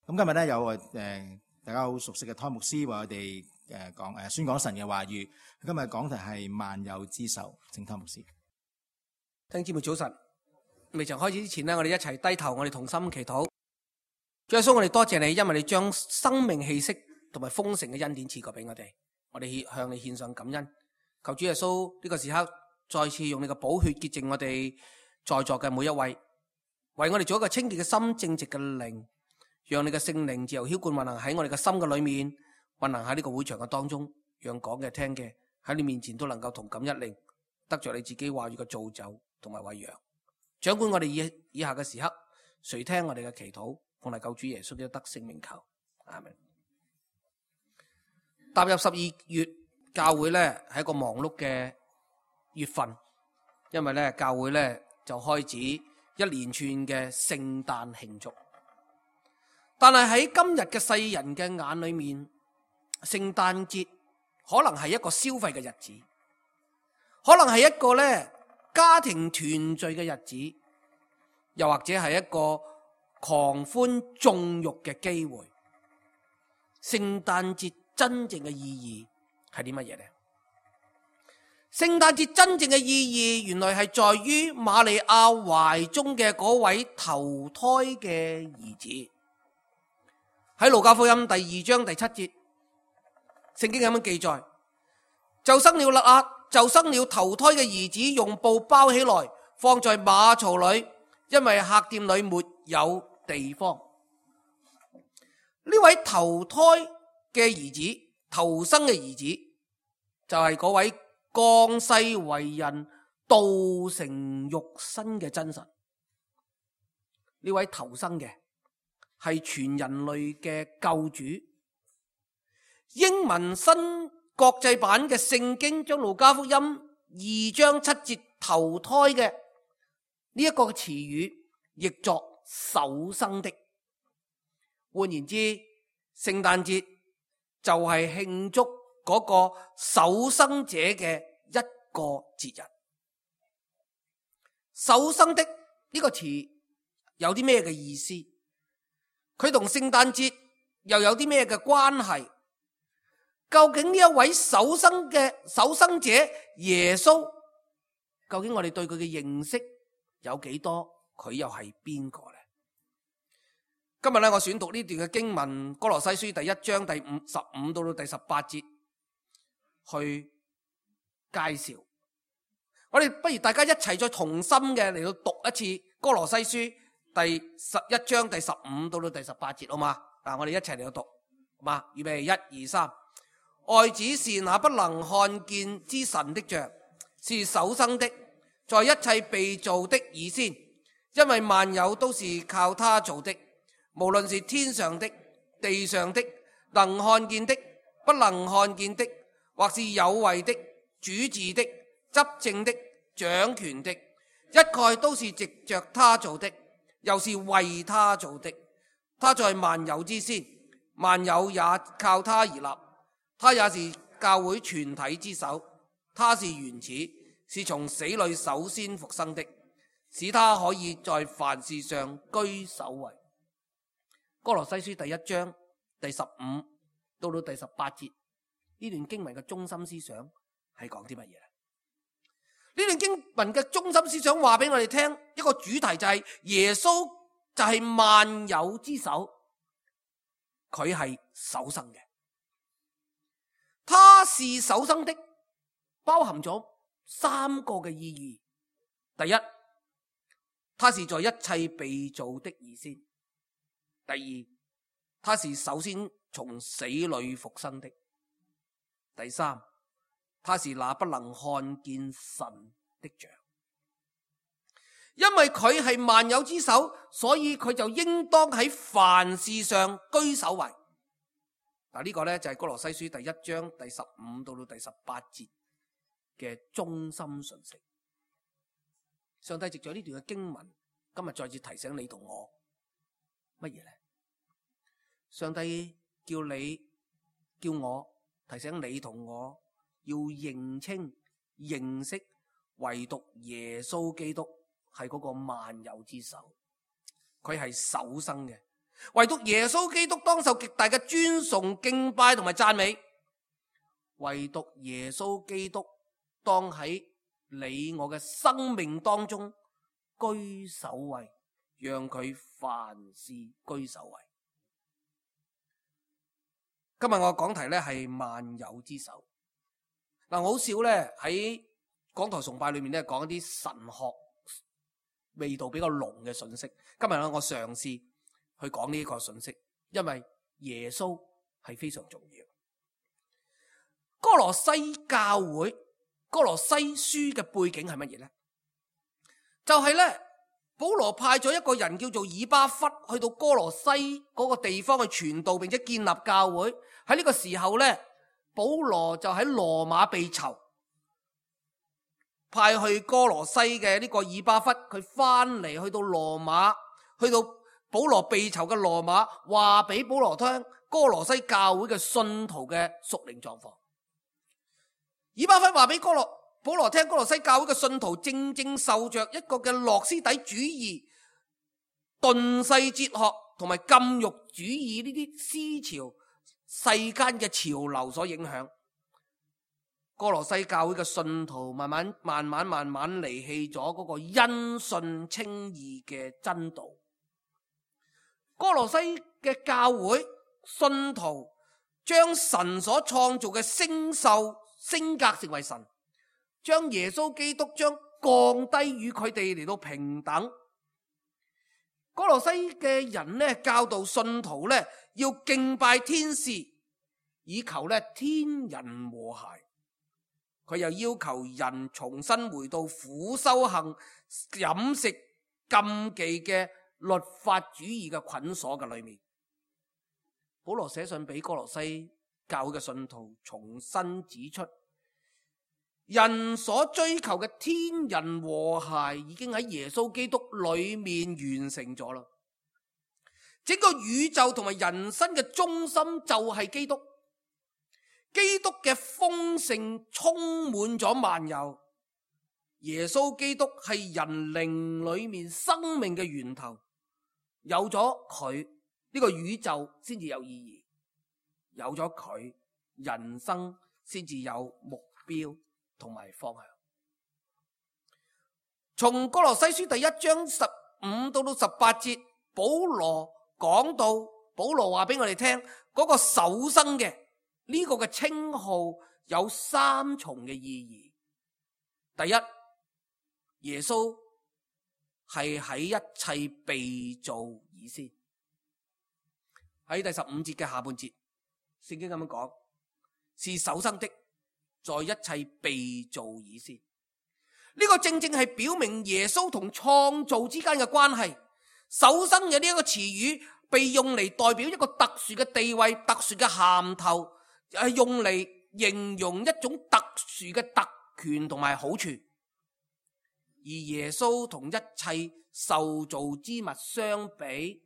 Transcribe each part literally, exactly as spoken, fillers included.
咁今日咧有誒大家好熟悉嘅湯牧師為我哋誒講誒宣講神嘅話語。今日講題係萬有之首，請湯牧師。弟兄姊妹早晨，未曾開始之前呢，我哋一齊低頭，我哋同心祈禱。主耶穌，我哋多謝你，因為你將生命氣息同埋豐盛嘅恩典賜過俾我哋，我哋向你獻上感恩。求主耶穌呢個時刻再次用你嘅寶血潔淨我哋在座嘅每一位，為我哋做一個清潔嘅心、正直嘅靈，讓你嘅聖靈自由澆灌運行喺我哋嘅心嘅裏面，運行喺呢個會場嘅當中，讓講嘅聽嘅喺你面前都能夠同感一靈，得着你自己話語嘅造就同埋餵養。掌管我哋以以下嘅時刻，垂聽我哋嘅祈禱，奉嚟救主耶穌基督得聖名求，阿們。踏入十二月，教會咧係一個忙碌嘅月份，因為咧教會咧就開始一連串嘅聖誕慶祝。但係喺今日嘅世人嘅眼裏面，聖誕節可能係一個消費嘅日子，可能係一個咧家庭團聚嘅日子，又或者係一個狂歡縱慾嘅機會。聖誕節真正嘅意義係啲乜嘢呢？聖誕節真正嘅意義原來係在於瑪利亞懷中嘅嗰位頭胎嘅兒子。喺路加福音第二章第七節，聖經咁樣記載：就生了肋壓，就生了頭胎嘅兒子，用布包起來，放在馬槽裏，因為客店裏沒有地方。呢位頭胎嘅兒子，頭生嘅兒子，就係嗰位降世為人、道成肉身嘅真神。呢位頭生嘅係全人類嘅救主。英文新國際版嘅聖經將路加福音二章七節頭胎嘅呢一個詞語譯作首生的。換言之，聖誕節就係慶祝嗰個首生者嘅一個節日。首生的呢個詞有啲咩嘅意思？佢同聖誕節又有啲咩嘅關係？究竟呢一位首生嘅首生者耶穌，究竟我哋對佢嘅認識有幾多？佢又係邊個呢？今日咧，我選讀呢段嘅經文，歌羅西書第一章第五十五到到第十八節去介紹。我哋不如大家一齊再同心嘅嚟到讀一次歌羅西書第十一章第十五到到第十八節，好嘛？嗱，我哋一齊嚟到讀，好嘛？預備，一二三。愛子是那不能看見之神的像，是首生的，在一切被造的以先，因為萬有都是靠他造的，無論是天上的、地上的，能看見的、不能看見的，或是有位的、主治的、執政的、掌權的，一概都是藉着他造的，又是為他造的。他在萬有之先，萬有也靠他而立。他也是教會全體之首，他是原始，是從死裏首先復生的，使他可以在凡事上居首位。歌羅西書第一章第十五到到第十八節，呢段經文嘅中心思想係講啲乜嘢？呢段經文嘅中心思想話俾我哋聽，一個主題就係耶穌就係萬有之首，佢係首生嘅。他是首生的，包含咗三個嘅意義。第一，他是在一切被造的以先。第二，他是首先從死裏復生的。第三，他是那不能看見神的像。因為佢係萬有之首，所以佢就應當喺凡事上居首位。嗱，呢個咧就係歌羅西書第一章第十五到到第十八節嘅中心訊息。上帝藉咗呢段嘅經文，今日再次提醒你同我乜嘢咧？上帝叫你叫我提醒你同我要認清認識，唯獨耶穌基督係嗰個萬有之首，佢係首生嘅。唯獨耶穌基督當受極大嘅尊崇、敬拜同埋讚美。唯獨耶穌基督當喺你我嘅生命當中居首位，讓佢凡事居首位。今日我講題咧係萬有之首。嗱，我好少咧喺講台崇拜裏面咧講一啲神學味道比較濃嘅信息。今日咧我嘗試去講呢個信息，因為耶穌係非常重要。哥羅西教會，哥羅西書嘅背景係乜嘢呢？就係咧，保羅派咗一個人叫做以巴弗去到哥羅西嗰個地方去傳道，並且建立教會。喺呢個時候咧，保羅就喺羅馬被囚，派去哥羅西嘅呢個以巴弗，佢翻嚟去到羅馬，去到保羅被囚嘅羅馬，話俾保羅聽哥羅西教會嘅信徒嘅屬靈狀況。以巴弗話俾哥羅保羅聽，哥羅西教會嘅信徒正正受着一個嘅諾斯底主義、頓世哲學同埋禁欲主義呢啲思潮、世間嘅潮流所影響。哥羅西教會嘅信徒慢慢慢慢慢慢離棄咗嗰個因信稱義嘅真道。哥羅西嘅教會信徒將神所創造嘅星宿升格成為神，將耶穌基督將降低與佢哋嚟到平等。哥羅西嘅人呢，教導信徒呢要敬拜天使，以求呢天人和諧。佢又要求人重新回到苦修行、飲食禁忌嘅律法主義嘅捆鎖嘅裏面。保羅寫信俾哥羅西教會嘅信徒，重新指出人所追求嘅天人和諧已經喺耶穌基督裏面完成咗啦。整個宇宙同埋人生嘅中心就係基督，基督嘅豐盛充滿咗萬有。耶穌基督係人靈裏面生命嘅源頭，有咗佢呢個宇宙先至有意義，有咗佢人生先至有目標同埋方向。從哥羅西書第一章十五到到十八節，保羅講到，保羅話俾我哋聽嗰個首生嘅呢個嘅稱號有三重嘅意義。第一，耶穌係喺一切被造以先。喺第十五節嘅下半節，聖經咁樣講，是首生的，在一切被造以先。呢個正正係表明耶穌同創造之間嘅關係。首生嘅呢一個詞語被用嚟代表一個特殊嘅地位、特殊嘅銜頭，係用嚟形容一種特殊嘅特權同埋好處。而耶穌同一切受造之物相比，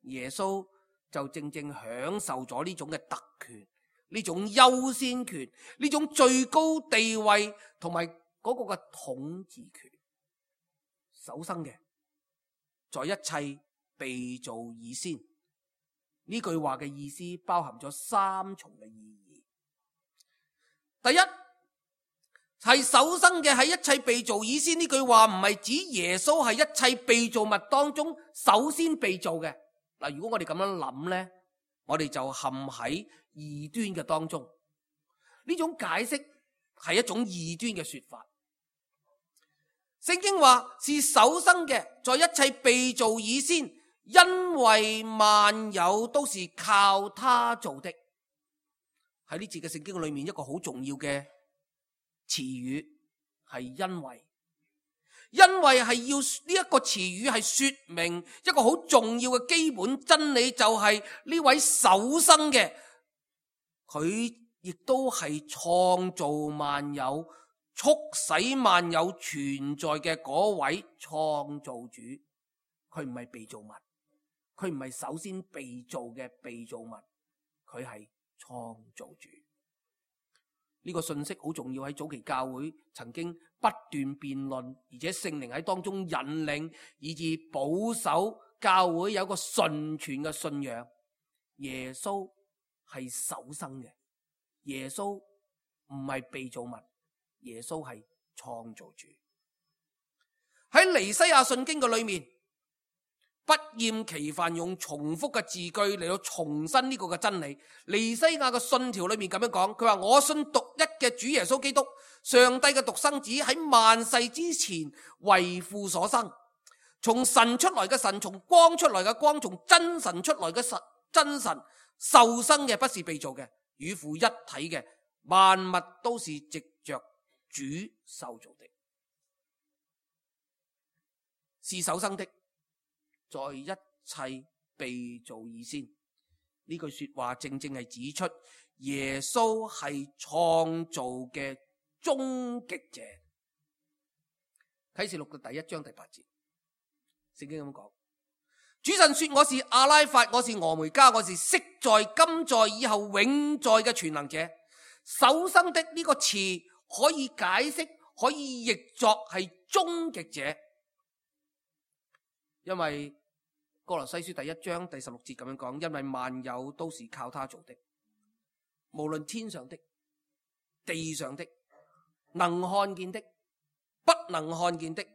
耶穌就正正享受咗呢種嘅特權，呢種優先權，呢種最高地位同埋嗰個嘅統治權。首生嘅，在一切被造以先，呢句話嘅意思包含咗三重嘅意義。第一，係首生嘅，喺一切被造以先，呢句話唔係指耶穌係一切被造物當中首先被造嘅。嗱，如果我哋咁樣諗呢，我哋就陷喺異端嘅當中。呢種解釋係一種異端嘅說法。聖經話是首生嘅，在一切被造以先，因為萬有都是靠他做的。喺呢節嘅聖經裏面，一個好重要嘅詞語係因為，因為係要呢一個詞語係說明一個好重要嘅基本真理，就係呢位首生嘅，佢亦都係創造萬有、促使萬有存在嘅嗰位創造主。佢唔係被造物，佢唔係首先被造嘅被造物，佢係創造主。呢個信息好重要，喺早期教會曾經不斷辯論，而且聖靈喺當中引領，以致保守教會有個純全嘅信仰，耶穌係首生嘅，耶穌唔係被造物，耶穌係創造主。喺尼西亞信經嘅裏面，不厭其煩用重複嘅字句嚟到重申呢個嘅真理。尼西亞嘅信條裏面咁樣講，佢話我信獨一嘅主耶穌基督，上帝嘅獨生子，喺萬世之前為父所生，從神出來嘅神，從光出來嘅光，從真神出來嘅神真神，受生嘅，不是被造嘅，與父一體嘅，萬物都是藉着主受造的，是首生的，在一切被造以先。呢句說話正正係指出耶穌係創造嘅終極者。啟示錄嘅第一章第八節，聖經咁講：主神說，我是阿拉法，我是俄梅加，我是昔在、今在、以後永在嘅全能者。首生的呢個詞可以解釋，可以譯作係終極者，因為歌羅西書第一章第十六節咁樣講，因為萬有都是靠他做的，無論天上的、地上的，能看見的、不能看見的，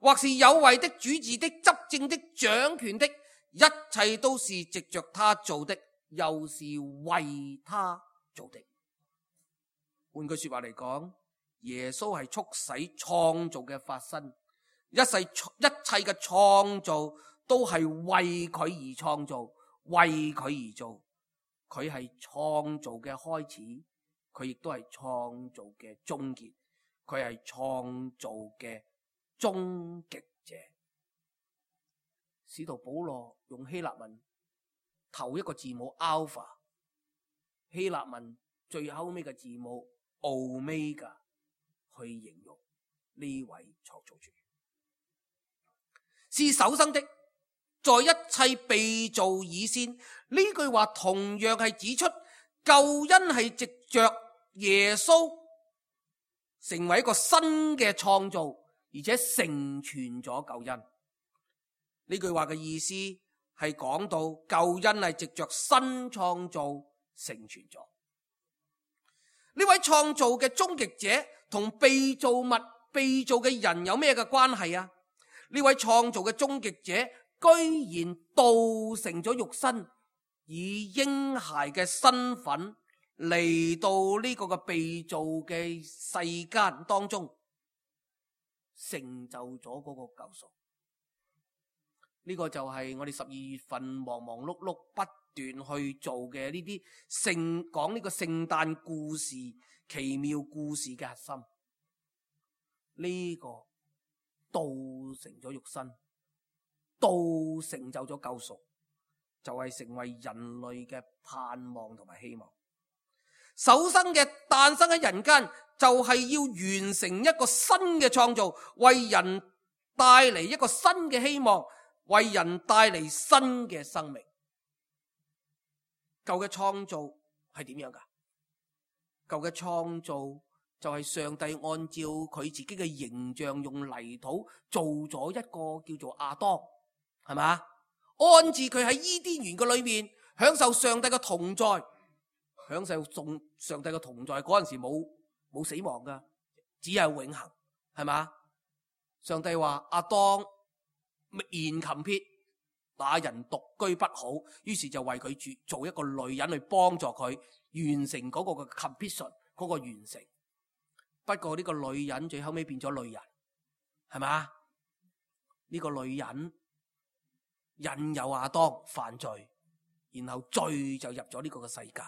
或是有位的、主治的、執政的、掌權的，一切都是藉着他做的，又是為他做的。換句說話嚟講，耶穌係促使創造嘅發生，一世一切嘅創造都係為佢而創造，為佢而做。佢係創造嘅開始，佢亦都係創造嘅終結，佢係創造嘅終極者。使徒保羅用希臘文頭一個字母 alpha， 希臘文最後尾嘅字母 omega 去形容呢位創造主，是首生的，在一切被造以先。呢句話同樣係指出救恩係藉着耶穌成為一個新嘅創造，而且成全咗救恩。呢句話嘅意思係講到救恩係藉着新創造成全咗。呢位創造嘅終極者同被造物、被造嘅人有咩嘅關係啊？呢位創造嘅終極者居然道成咗肉身，以嬰孩嘅身份嚟到呢個嘅被造嘅世間當中，成就咗嗰個救贖。呢、這個就係我哋十二月份忙忙碌碌不斷去做嘅呢啲聖講呢個聖誕故事、奇妙故事嘅核心。呢、這個道成咗肉身，道成就咗救贖，就係、是、成為人類嘅盼望同埋希望。首生嘅誕生喺人間，就係要完成一個新嘅創造，為人帶嚟一個新嘅希望，為人帶嚟新嘅生命。舊嘅創造係點樣噶？舊嘅創造就係上帝按照佢自己嘅形象，用泥土做咗一個叫做亞當，係嘛？安置佢喺伊甸園嘅裏面，享受上帝嘅同在，享受眾上帝嘅同在。嗰陣時冇冇死亡噶，只係永恆，係嘛？上帝話亞當言禽撇，那人獨居不好，於是就為佢住做一個女人去幫助佢完成嗰個嘅 completion， 嗰個完成。不過呢個女人最後尾變咗女人，係嘛？呢個女人引誘亞當犯罪，然後罪就入咗呢個嘅世界，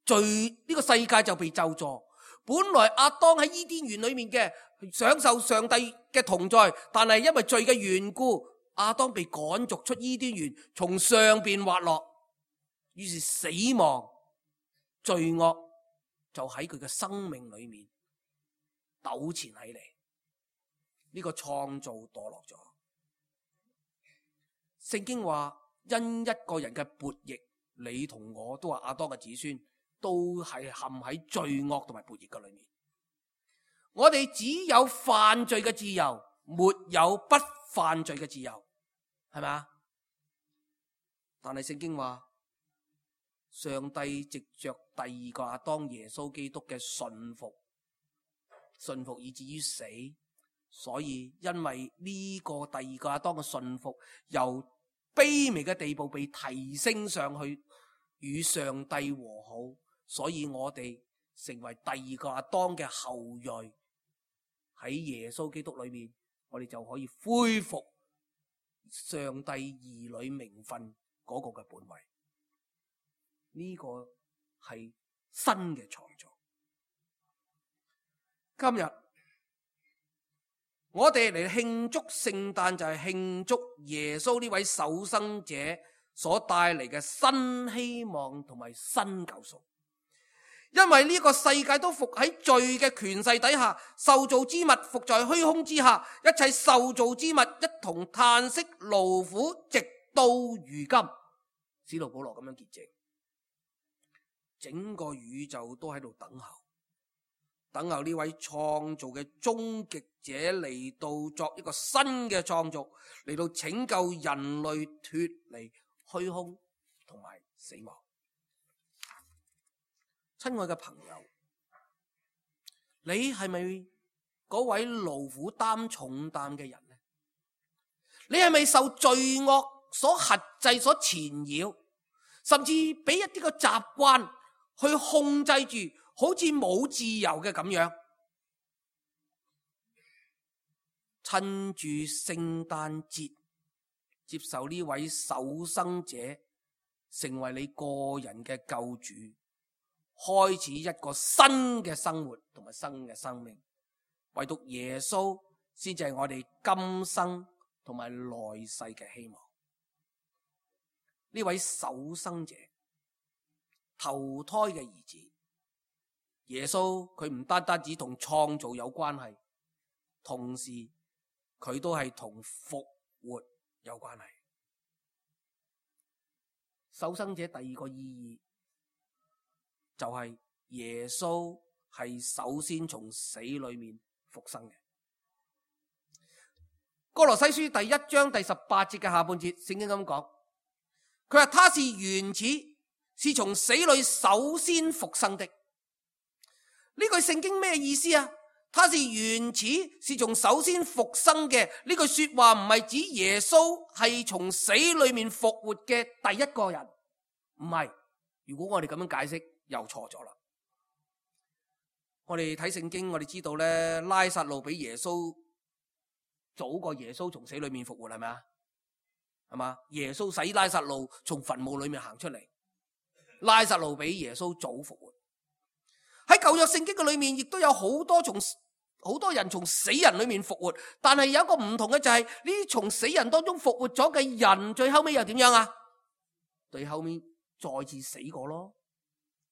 罪呢個世界就被咒詛。本來亞當喺伊甸園裏面嘅享受上帝嘅同在，但係因為罪嘅緣故，亞當被趕逐出伊甸園，從上邊滑落，於是死亡罪惡就喺佢嘅生命裏面糾纏起嚟，呢個創造墮落咗。聖經話因一個人嘅悖逆，你同我都係亞當嘅子孫，都係陷喺罪惡同埋悖逆嘅裏面。我哋只有犯罪嘅自由，沒有不犯罪嘅自由，係咪啊？但係聖經話，上帝藉着第二個亞當耶穌基督嘅順服，順服以至於死，所以因為呢個第二個亞當嘅順服，由卑微嘅地步被提升上去，與上帝和好，所以我哋成為第二個亞當嘅後裔。喺耶穌基督裏面，我哋就可以恢復上帝兒女名分嗰個嘅本位。呢個係新嘅創造。今日我哋嚟慶祝聖誕，就係慶祝耶穌呢位守生者所帶嚟嘅新希望同埋新救贖。因為呢個世界都伏喺罪嘅權勢底下，受造之物伏在虛空之下，一切受造之物一同嘆息勞苦，直到如今。使徒保羅咁樣結證，整個宇宙都喺度等候，等候呢位創造嘅終極者嚟到作一個新嘅創造，嚟到拯救人類脫離虛空同埋死亡。親愛嘅朋友，你係咪嗰位勞苦擔重擔嘅人呢？你係咪受罪惡所轄制、所纏繞，甚至俾一啲個習慣去控制住，好似冇自由嘅咁樣？趁住聖誕節，接受呢位守生者成為你個人嘅救主，開始一個新嘅生活同埋新嘅生命。唯獨耶穌先至係我哋今生同埋來世嘅希望。呢位守生者，投胎嘅兒子耶穌，佢唔單單只同創造有關係，同時佢都係同復活有關係。守生者第二個意義就係耶穌係首先從死裏面復生嘅。歌羅西書第一章第十八節嘅下半節，聖經咁講，佢話他是原始，是從死裏首先復生的。呢句聖經咩意思啊？他是原始，是從首先復生嘅。呢句說話唔係指耶穌係從死裏面復活嘅第一個人，唔係。如果我哋咁樣解釋，又錯咗啦。我哋睇聖經，我哋知道咧，拉撒路比耶穌早過耶穌從死裏面復活，係咪啊？係嘛？耶穌使拉撒路從墳墓裏面行出嚟，拉撒路比耶穌早復活。喺舊約聖經嘅裏面，亦都有好多從好多人從死人裏面復活，但係有一個唔同嘅就係呢啲從死人當中復活咗嘅人，最後尾又點樣啊？最後尾再次死過咯，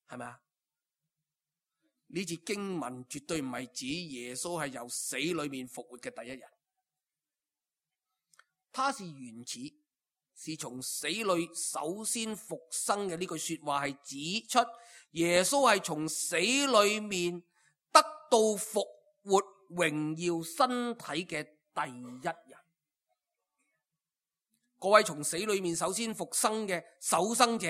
係咪啊？呢節經文絕對唔係指耶穌係由死裏面復活嘅第一人，他是原始，是從死裏首先復生嘅。呢句說話係指出耶穌係從死裏面得到復活榮耀身體嘅第一人。各位，從死裏面首先復生嘅守生者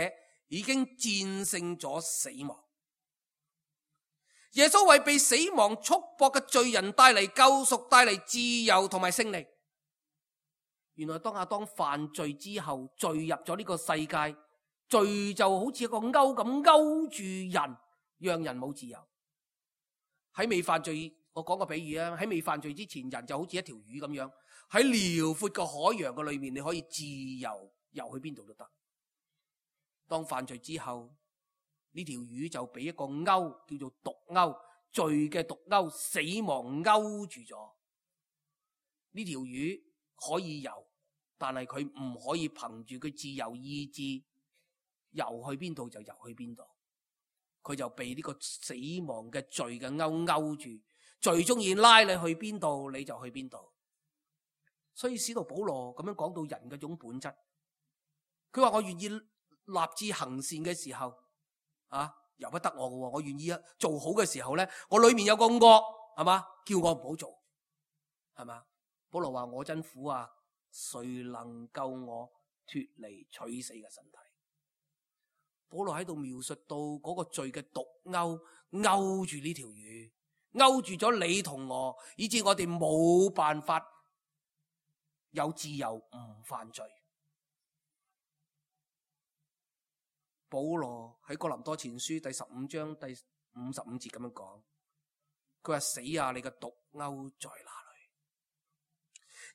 已經戰勝咗死亡。耶穌為被死亡束縛嘅罪人帶嚟救贖，帶嚟自由同埋勝利。原來當亞當犯罪之後，罪入咗呢個世界，罪就好似一個勾咁勾住人，讓人冇自由。喺未犯罪，我講個比喻啊，喺未犯罪之前，人就好似一條魚咁樣，喺遼闊嘅海洋嘅裏面，你可以自由游去邊度都得。當犯罪之後，呢條魚就俾一個勾，叫做毒勾，罪嘅毒勾，死亡勾住咗。呢條魚可以游，但係佢唔可以憑住佢自由意志游去邊度就游去邊度，佢就被呢個死亡嘅罪嘅勾勾住，最中意拉你去邊度你就去邊度。所以使徒保羅咁樣講到人嘅種本質，佢話我願意立志行善嘅時候啊，由不得我嘅，我願意啊做好嘅時候咧，我裏面有個惡，係嘛，叫我唔好做，係嘛。保羅話我真苦啊，誰能救我脫離取死嘅身體？保羅喺度描述到嗰個罪嘅毒鈎勾住呢條魚，勾住咗你同我，以致我哋冇辦法有自由唔犯罪。保羅喺哥林多前書第十五章第五十五節咁樣講，佢話：死啊，你嘅毒鈎在哪裏？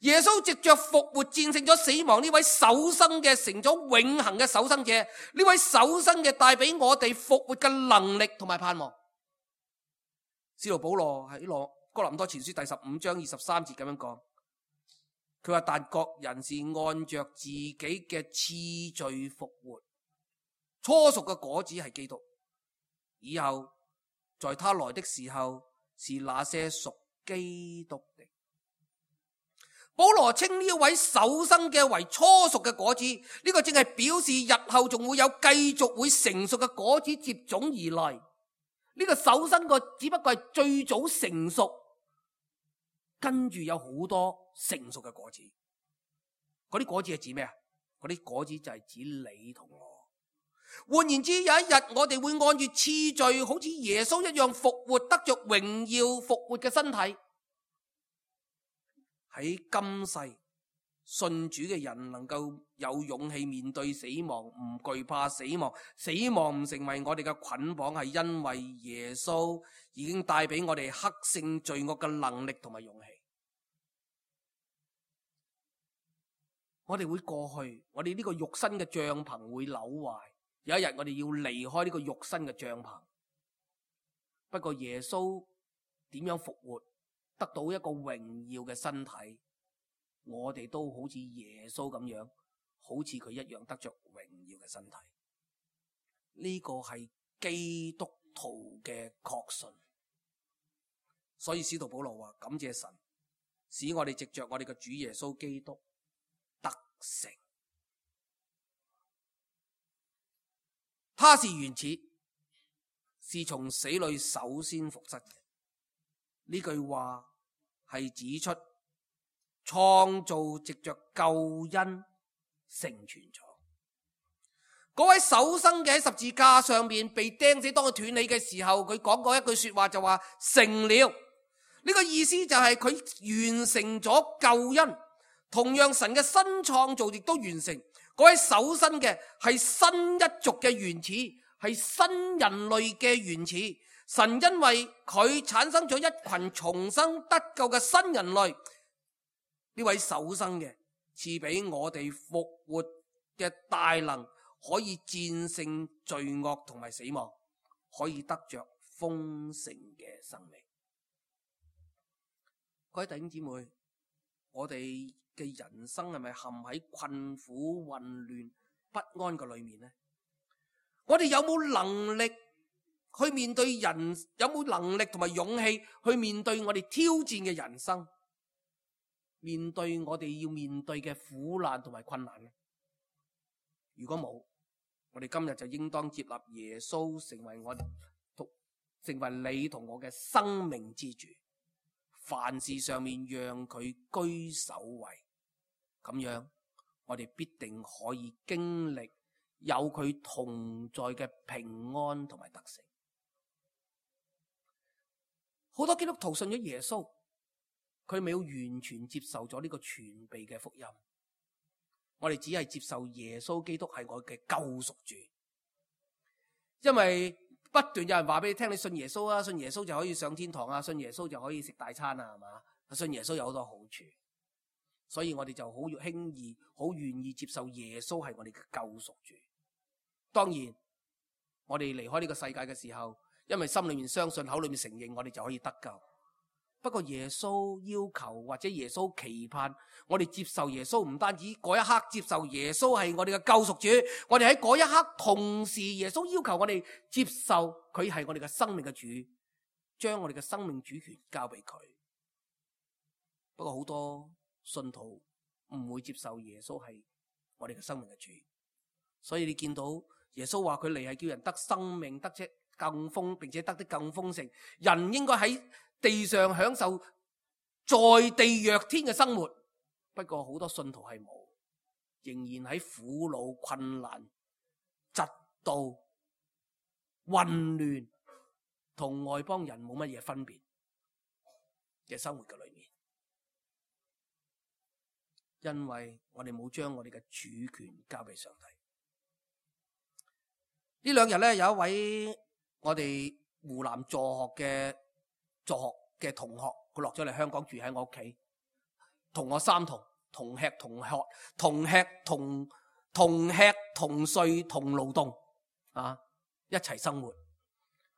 耶穌藉着復活戰勝咗死亡，呢位首生嘅成咗永恆嘅首生者，呢位首生嘅帶俾我哋復活嘅能力同埋盼望。使徒保羅喺羅哥林多前書第十五章二十三節咁樣講，佢話：但各人是按着自己嘅次序復活，初熟嘅果子係基督，以後在他來的時候是那些屬基督的。保羅稱呢位首生嘅為初熟嘅果子，呢、這個正係表示日後仲會有繼續會成熟嘅果子接踵而來。呢、這個首生個只不過係最早成熟，跟住有好多成熟嘅果子。嗰啲果子係指咩啊？嗰啲果子就係指你同我。換言之，有一日我哋會按住次序，好似耶穌一樣復活，得着榮耀復活嘅身體。喺今世信主嘅人能夠有勇氣面對死亡，唔懼怕死亡，死亡唔成為我哋嘅捆綁，係因為耶穌已經帶俾我哋克勝罪惡嘅能力同埋勇氣。我哋會過去，我哋呢個肉身嘅帳篷會朽壞，有一日我哋要離開呢個肉身嘅帳篷。不過耶穌點樣復活，得到一個榮耀嘅身體，我哋都好似耶穌咁樣，好似佢一樣得着榮耀嘅身體。呢個係基督徒嘅確信。所以使徒保羅話：感謝神，使我哋藉着我哋嘅主耶穌基督得成。他是原始，是從死裏首先復活嘅。呢句話係指出創造藉着救恩成全咗。嗰位首生嘅喺十字架上面被釘死，當佢斷氣嘅時候，佢講過一句說話就話成了。呢個意思就係佢完成咗救恩。同樣神嘅新創造亦都完成。嗰位首生嘅係新一族嘅原始，係新人類嘅原始。神因為佢產生咗一群重生得救嘅新人類，呢位首生嘅賜俾我哋復活嘅大能，可以戰勝罪惡同埋死亡，可以得着豐盛嘅生命。各位弟兄姊妹，我哋嘅人生係咪陷喺困苦、混亂、不安嘅裏面呢？我哋有冇能力去面對人，有冇能力同埋勇氣去面對我哋挑戰嘅人生，面對我哋要面對嘅苦難同埋困難呢？如果冇，我哋今日就應當接納耶穌成為我同成為你同我嘅生命之主，凡事上面讓佢居首位，咁樣我哋必定可以經歷有佢同在嘅平安同埋得勝。好多基督徒信咗耶穌，佢未有完全接受咗呢個全備嘅福音。我哋只係接受耶穌基督係我嘅救贖主，因為不斷有人話俾你聽，你信耶穌啊，信耶穌就可以上天堂啊，信耶穌就可以食大餐啊，係嘛？信耶穌有好多好處，所以我哋就好輕易、好願意接受耶穌係我哋嘅救贖主。當然，我哋離開呢個世界嘅時候，因為心裏面相信，口裏面承認，我哋就可以得救。不過耶穌要求或者耶穌期盼我哋接受耶穌，唔單止嗰一刻接受耶穌係我哋嘅救贖主，我哋喺嗰一刻同時耶穌要求我哋接受佢係我哋嘅生命嘅主，將我哋嘅生命主權交俾佢。不過好多信徒唔會接受耶穌係我哋嘅生命嘅主，所以你見到耶穌話佢嚟係叫人得生命，得且更豐，並且得的更豐盛。人應該喺地上享受在地若天嘅生活，不過好多信徒係冇，仍然喺苦惱、困難、嫉妒、混亂，同外邦人冇乜嘢分別嘅生活嘅裏面。因為我哋冇將我哋嘅主權交俾上帝。呢兩日咧，有一位我哋湖南助學嘅助學嘅同學，佢落咗嚟香港住喺我屋企，同我三同同吃同喝同吃同同吃同睡同勞動啊，一齊生活。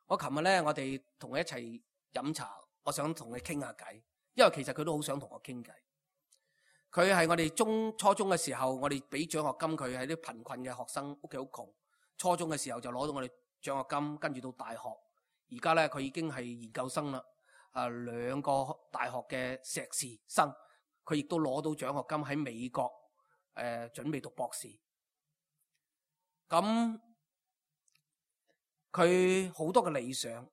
我琴日咧，我哋同佢一齊飲茶，我想同佢傾下偈，因為其實佢都好想同我傾偈。佢係我哋中初中嘅時候，我哋俾獎學金佢，係啲貧困嘅學生，屋企好窮。初中嘅時候就攞到我哋獎學金，跟住到大學，而家咧佢已經係研究生啦。啊，兩個大學嘅碩士生，佢亦都攞到獎學金喺美國，誒、呃，準備讀博士。咁佢好多嘅理想，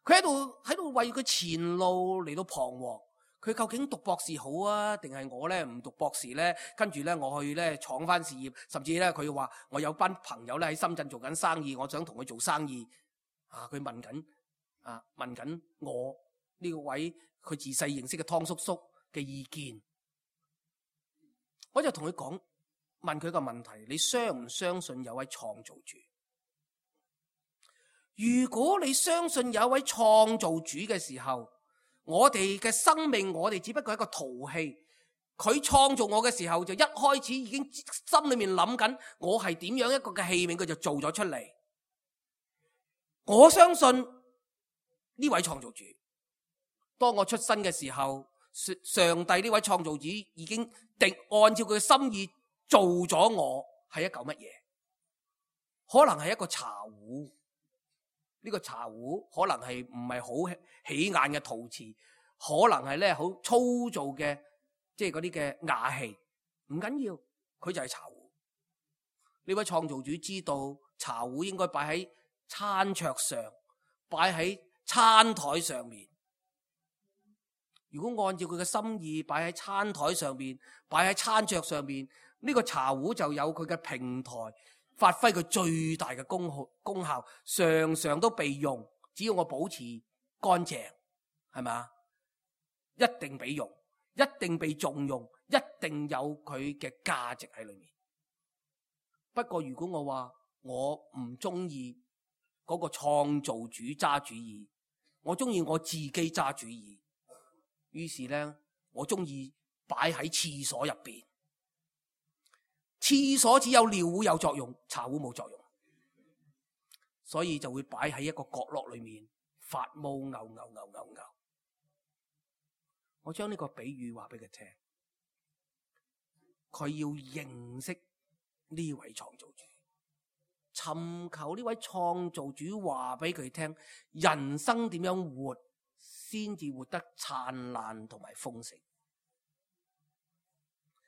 佢喺度喺度為佢前路嚟到彷徨。佢究竟讀博士好啊，定係我咧唔讀博士咧？跟住咧我去咧闖翻事業，甚至咧佢話我有班朋友咧喺深圳做緊生意，我想同佢做生意。啊，佢問緊啊問緊我呢個位佢自細認識嘅湯叔叔嘅意見。我就同佢講，問佢個問題：你相唔相信有位創造主？如果你相信有一位創造主嘅時候，我哋嘅生命，我哋只不過係一個陶器。佢創造我嘅時候，就一開始已經心裏面諗緊我係點樣一個嘅器皿，佢就做咗出嚟。我相信呢位創造主，當我出生嘅時候，上帝呢位創造主已經定按照佢嘅心意做咗我，係一嚿乜嘢？可能係一個茶壺。呢個茶壺可能係唔係好起眼嘅陶瓷，可能係咧好粗糙嘅，即係嗰啲嘅瓦器，唔緊要，佢就係茶壺。呢位創造主知道茶壺應該擺喺餐桌上，擺喺餐台上面。如果按照佢嘅心意擺喺餐台上面，擺喺餐桌上面，呢個茶壺就有佢嘅平台，發揮佢最大嘅功效，功效常常都被用。只要我保持乾淨，係咪？一定被用，一定被重用，一定有佢嘅價值喺裏面。不過如果我話我唔中意嗰個創造主揸主意，我中意我自己揸主意，於是咧我中意擺喺廁所入邊。廁所只有尿壺有作用，茶壺冇作用，所以就會擺喺一個角落裏面發毛，牛牛牛牛牛。我將呢個比喻話俾佢聽，佢要認識呢位創造主，尋求呢位創造主話俾佢聽，人生點樣活先至活得燦爛同埋豐盛。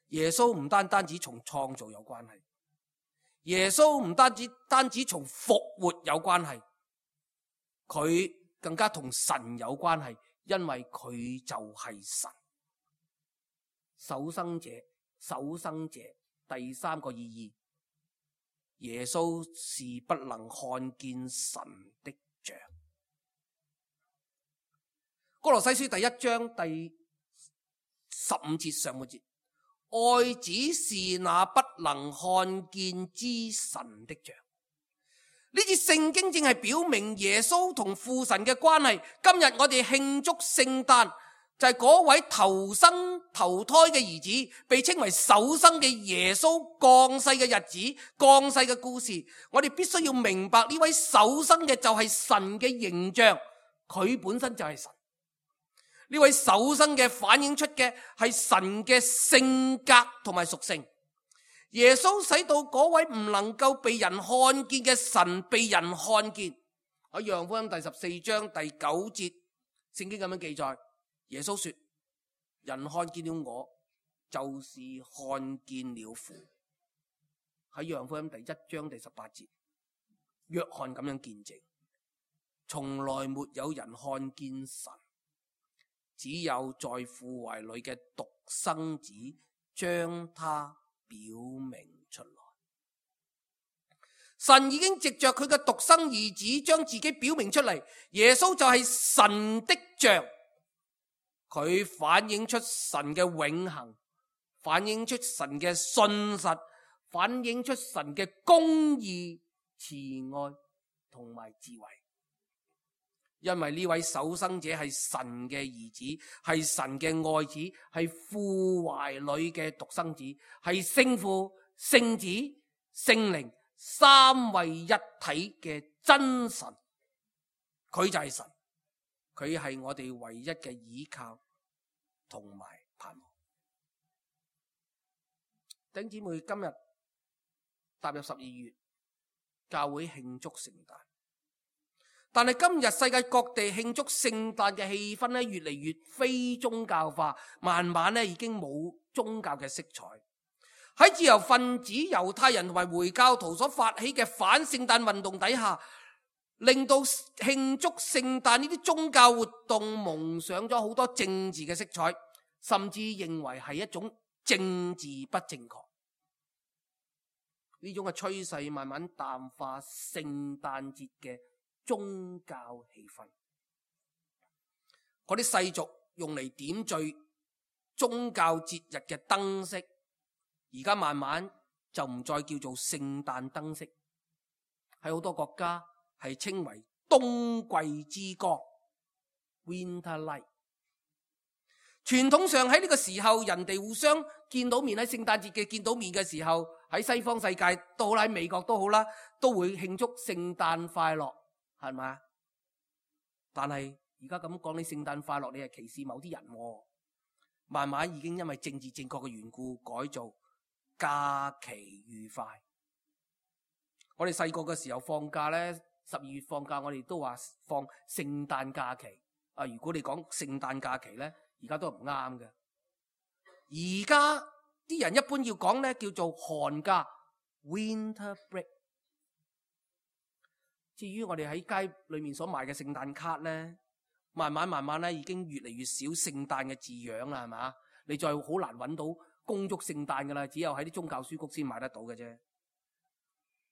耶穌唔單單只從創造有關係，耶穌唔單止單止從復活有關係，佢更加同神有關係，因為佢就係神。首生者，首生者，第三個意義，耶穌是不能看見神的像。歌羅西書第一章第十五節上半節，愛子是那不能看見之神的像。呢節聖經正係表明耶穌同父神嘅關係。今日我哋慶祝聖誕，就係嗰位投生投胎嘅兒子，被稱為首生嘅耶穌降世嘅日子，降世嘅故事。我哋必須要明白呢位首生嘅就係神嘅形象，佢本身就係神。呢位首生嘅反映出嘅係神嘅性格同埋屬性。耶穌使到嗰位唔能夠被人看見嘅神被人看見。喺約翰福音第十四章第九節，聖經咁樣記載，耶穌說：人看見了我，就是看見了父。喺約翰福音第一章第十八節，約翰咁樣見證，從來沒有人看見神，只有在父懷裏嘅獨生子將他表明出來。神已經藉着佢嘅獨生兒子將自己表明出嚟，耶穌就係神的像，佢反映出神嘅永恆，反映出神嘅信實，反映出神嘅公義、慈愛同埋智慧。因為呢位首生者係神嘅兒子，係神嘅愛子，係父懷裏嘅獨生子，係聖父、聖子、聖靈三位一體嘅真神。佢就係神，佢係我哋唯一嘅依靠同埋盼望。弟兄姊妹，今日踏入十二月，教會慶祝聖誕。但係今日世界各地慶祝聖誕嘅氣氛咧，越嚟越非宗教化，慢慢咧已經冇宗教嘅色彩。喺自由分子、猶太人同埋回教徒所發起嘅反聖誕運動底下，令到慶祝聖誕呢啲宗教活動蒙上咗好多政治嘅色彩，甚至認為係一種政治不正確。呢種嘅趨勢慢慢淡化聖誕節嘅宗教氣氛，嗰啲世俗用嚟點綴宗教節日嘅燈飾，而家慢慢就唔再叫做聖誕燈飾，喺好多國家係稱為冬季之光 Winter Light。傳統上喺呢個時候，人哋互相見到面，喺聖誕節嘅見到面嘅時候，喺西方世界都好啦，喺美國都好啦，都會慶祝聖誕快樂。係咪？但係而家咁講你聖誕快樂，你係歧視某啲人喎。慢慢已經因為政治正確嘅緣故，改做假期愉快。我哋細個嘅時候放假呢，十二月放假，我哋都話放聖誕假期。啊，如果你講聖誕假期呢，而家都唔啱嘅。而家啲人一般要講呢，叫做寒假 （Winter Break）。至於我哋喺街裏面所賣嘅聖誕卡呢，慢慢慢慢咧已經越嚟越少聖誕嘅字樣啦，係嘛？你再好難揾到恭祝聖誕噶啦，只有喺啲宗教書局先買得到嘅啫。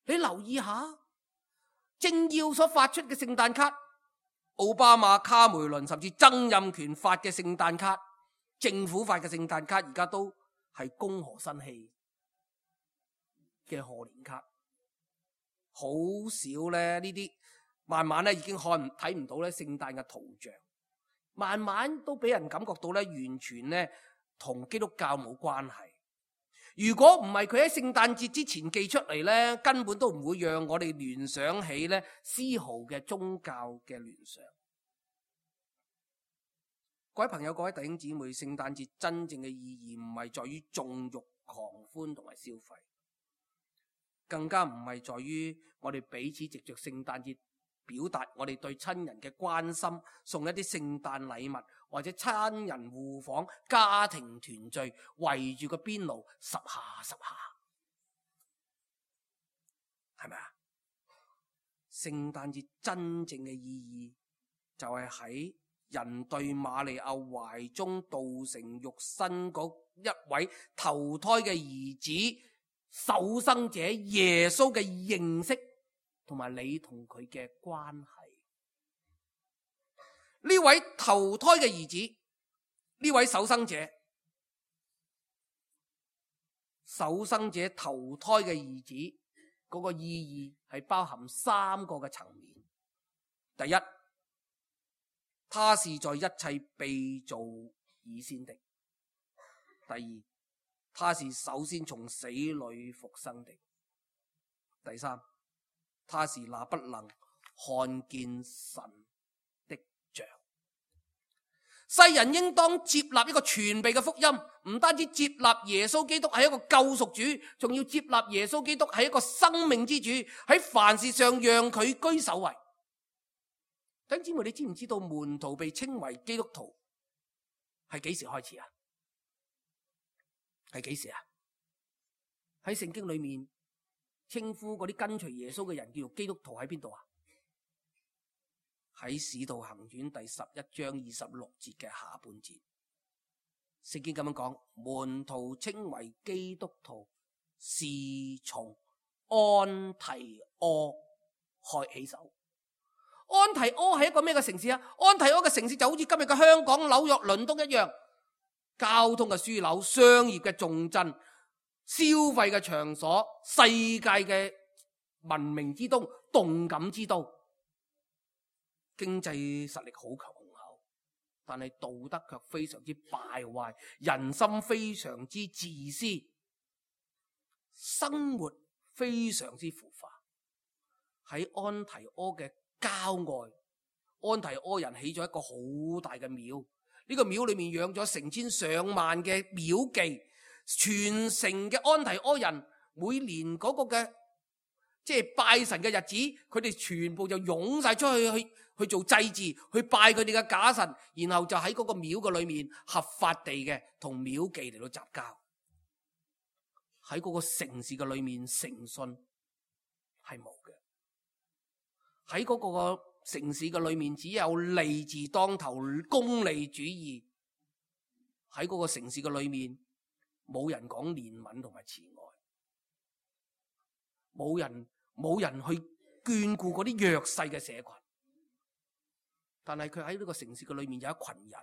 你留意下，政要所發出嘅聖誕卡，奧巴馬、卡梅倫甚至曾蔭權發嘅聖誕卡，政府發嘅聖誕卡，而家都係恭賀新禧嘅賀年卡。好少咧呢啲，慢慢咧已經看睇唔到咧聖誕嘅圖像，慢慢都俾人感覺到咧完全咧同基督教冇關係。如果唔係佢喺聖誕節之前寄出嚟咧，根本都唔會讓我哋聯想起咧絲毫嘅宗教嘅聯想。各位朋友、各位弟兄姊妹，聖誕節真正嘅意義唔係在於縱慾狂歡同埋消費。更加唔係在於我哋彼此藉着聖誕節表達我哋對親人嘅關心，送一啲聖誕禮物，或者親人互訪、家庭團聚，圍住個邊爐十下十下，係咪啊？聖誕節真正嘅意義就係喺人對瑪利亞懷中道成肉身嗰一位投胎嘅兒子首生者耶穌嘅認識，同埋你同佢嘅關係。呢位投胎嘅兒子，呢位首生者，首生者投胎嘅兒子嗰、那個意義係包含三個嘅層面。第一，他是在一切被造以先的。第二，他是首先從死裏復生的。第三，他是那不能看見神的像。世人應當接納一個全備嘅福音，唔單止接納耶穌基督係一個救贖主，仲要接納耶穌基督係一個生命之主，喺凡事上讓佢居首位。弟兄姊妹，你知唔知道門徒被稱為基督徒係幾時開始啊？係幾時啊？喺聖經裏面稱呼嗰啲跟隨耶穌嘅人叫做基督徒喺邊度啊？喺使徒行傳第十一章二十六節嘅下半節，聖經咁樣講，門徒稱為基督徒，是從安提阿開起手。安提阿係一個咩嘅城市啊？安提阿嘅城市就好似今日嘅香港、紐約、倫敦一樣，交通嘅樞紐、商業嘅重鎮、消費嘅場所、世界嘅文明之都、動感之都，經濟實力好強雄厚，但係道德卻非常之敗壞，人心非常之自私，生活非常之腐化。喺安提阿嘅郊外，安提阿人起咗一個好大嘅廟，呢個廟裏面養咗成千上萬嘅廟妓，全城嘅安提阿人每年嗰個嘅即係拜神嘅日子，佢哋全部就湧晒出去去去做祭祀，去拜佢哋嘅假神，然後就喺嗰個廟嘅裏面合法地嘅同廟妓嚟到雜交。喺嗰個城市嘅裏面，誠信係冇嘅。喺嗰個城市嘅裏面，只有利字當頭，功利主義。喺嗰個城市嘅裏面，冇人講憐憫同埋慈愛，冇人冇人去眷顧嗰啲弱勢嘅社群。但係佢喺呢個城市嘅裏面有一群人，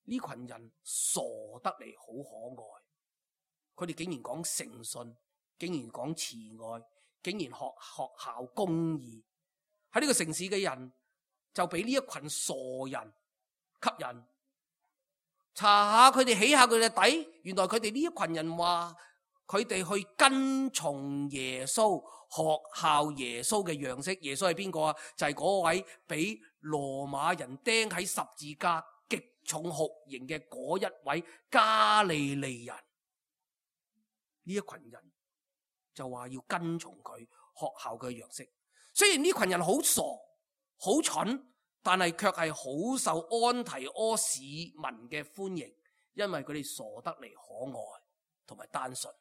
呢群人傻得嚟好可愛，佢哋竟然講誠信，竟然講慈愛，竟然學學校公義。喺呢個城市嘅人就俾呢一群傻人吸引，查下佢哋起下佢哋底，原來佢哋呢一群人話佢哋去跟從耶穌，學效耶穌嘅樣式。耶穌係邊個啊？就係嗰位俾羅馬人釘喺十字架極重酷刑嘅嗰一位加利利人。呢一群人就話要跟從佢，學效佢嘅樣式。雖然呢群人好傻好蠢，但係卻係好受安提阿市民嘅歡迎，因為佢哋傻得嚟可愛同埋單純，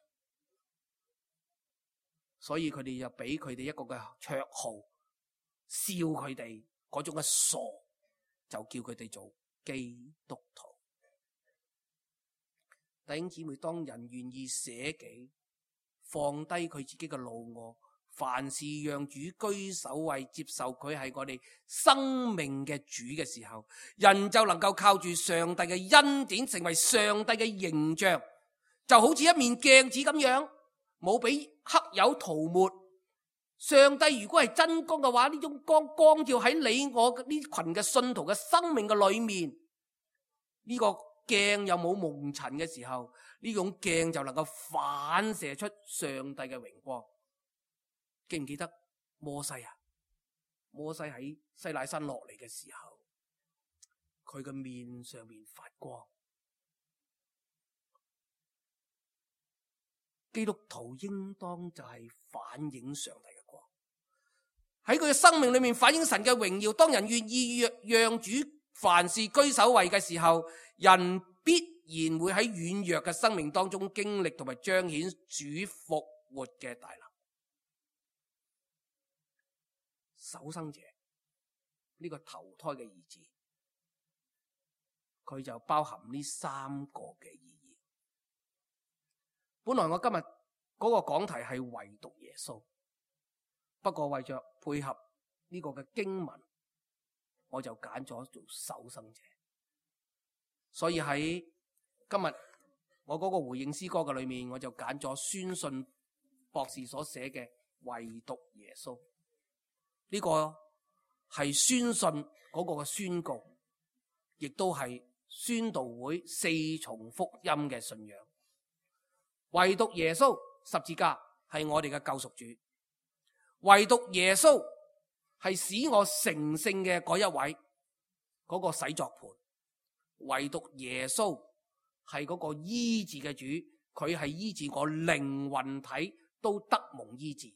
所以佢哋就俾佢哋一個嘅綽號，笑佢哋嗰種嘅傻，就叫佢哋做基督徒。弟兄姊妹，當人願意捨己，放低佢自己嘅老我，凡事讓主居首位，接受佢係我哋生命嘅主嘅時候，人就能夠靠住上帝嘅恩典成為上帝嘅形象，就好似一面鏡子咁樣，冇俾黑油塗抹。上帝如果係真光嘅話，呢種光光照喺你我呢群嘅信徒嘅生命嘅裏面，呢個鏡又冇蒙塵嘅時候，呢種鏡就能夠反射出上帝嘅榮光。記唔記得摩西啊？摩西喺西乃山落嚟嘅時候，佢嘅面上面發光。基督徒應當就係反映上帝嘅光，喺佢嘅生命裏面反映神嘅榮耀。當人願意讓主凡事居首位嘅時候，人必然會喺軟弱嘅生命當中經歷同埋彰顯主復活嘅大能。首生者呢個投胎嘅兒子，佢就包含呢三個嘅意義。本來我今日嗰個講題係唯獨耶穌，不過為着配合呢個嘅經文，我就揀咗做首生者。所以喺今日我嗰個回應詩歌嘅裏面，我就揀咗宣信博士所寫嘅唯獨耶穌。呢個係宣信嗰個嘅宣告，亦都係宣道會四重福音嘅信仰。唯獨耶穌十字架係我哋嘅救贖主，唯獨耶穌係使我成聖嘅嗰一位，嗰個洗作盤。唯獨耶穌係嗰個醫治嘅主，佢係醫治我靈魂體都得蒙醫治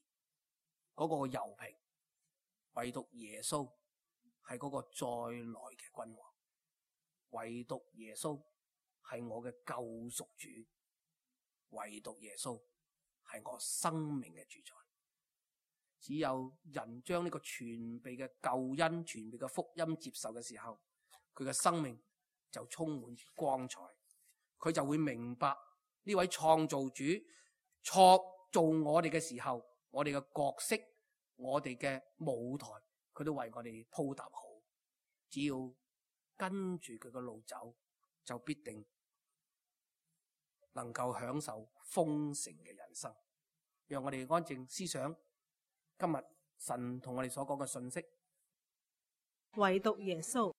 嗰個油瓶。唯獨耶穌係嗰個再來嘅君王，唯獨耶穌係我嘅救贖主，唯獨耶穌係我生命嘅主宰。只有人將呢個全備嘅救恩、全備嘅福音接受嘅時候，佢嘅生命就充滿住光彩佢就會明白呢位創造主創造我哋嘅時候，我哋嘅角色，我哋嘅舞台，佢都為我哋鋪搭好。只要跟住佢嘅路走，就必定能夠享受豐盛嘅人生。讓我哋安靜思想今日神同我哋所講嘅信息。唯獨耶穌。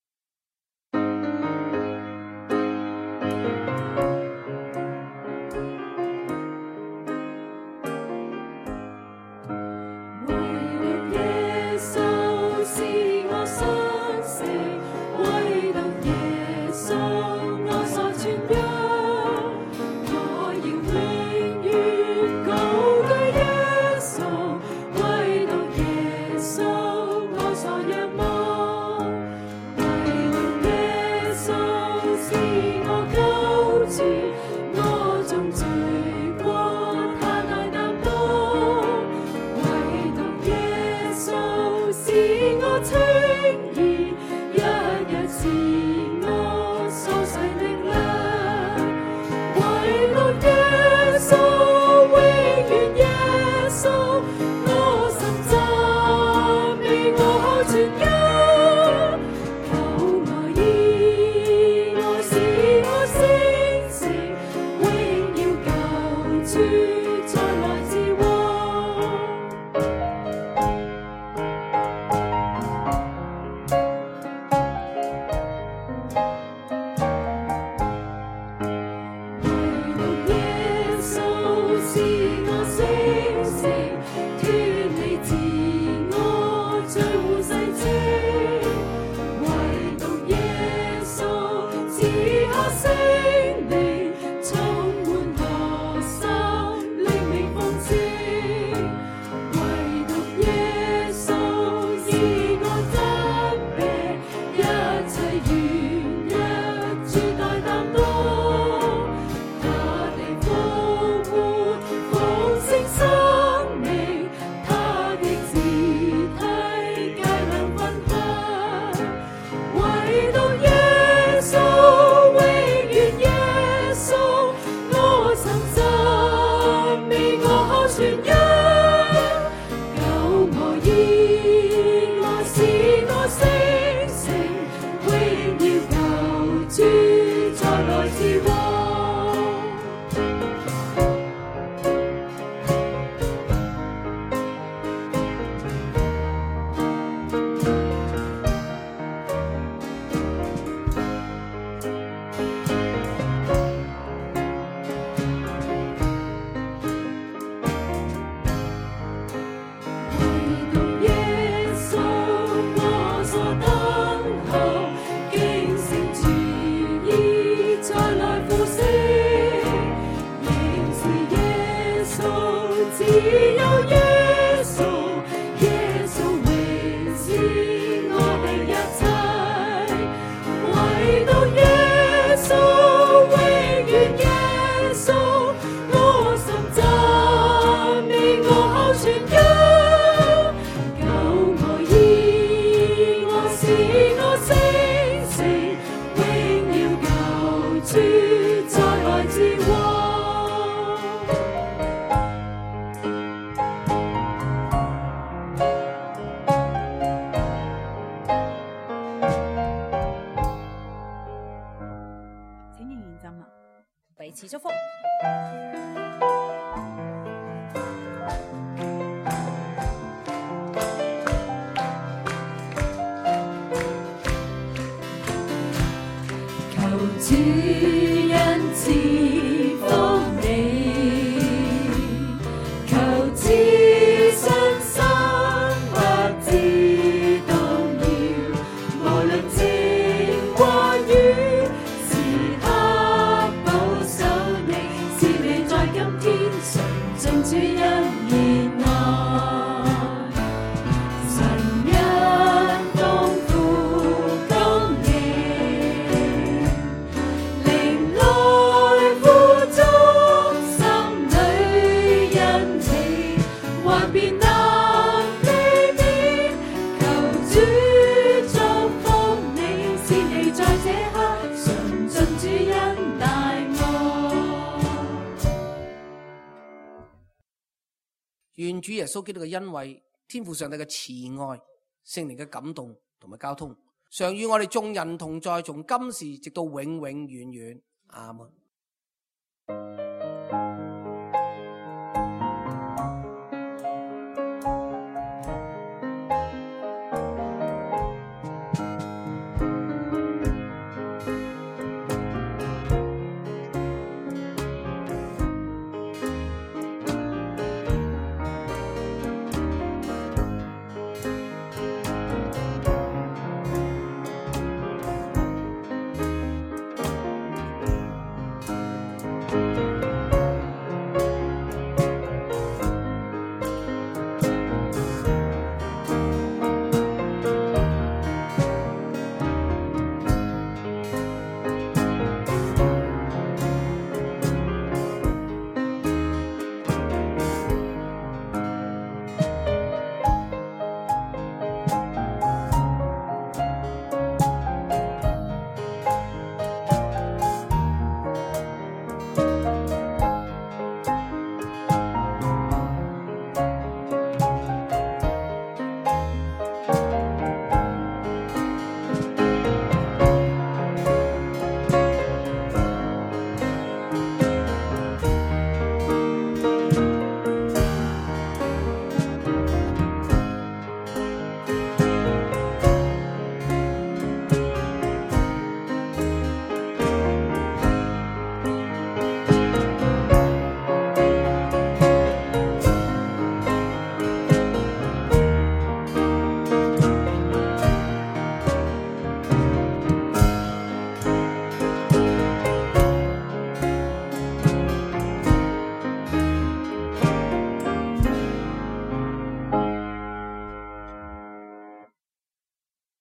彼此祝福。求主恩賜福你，求知信心或知動搖，無論晴或雨，時刻保守你，是你在今天純正主恩憐愛，神恩豐富供應。願主耶穌基督嘅恩惠、天父上帝嘅慈愛、聖靈嘅感動同埋交通，常與我哋眾人同在，從今時直到永永遠遠。阿門。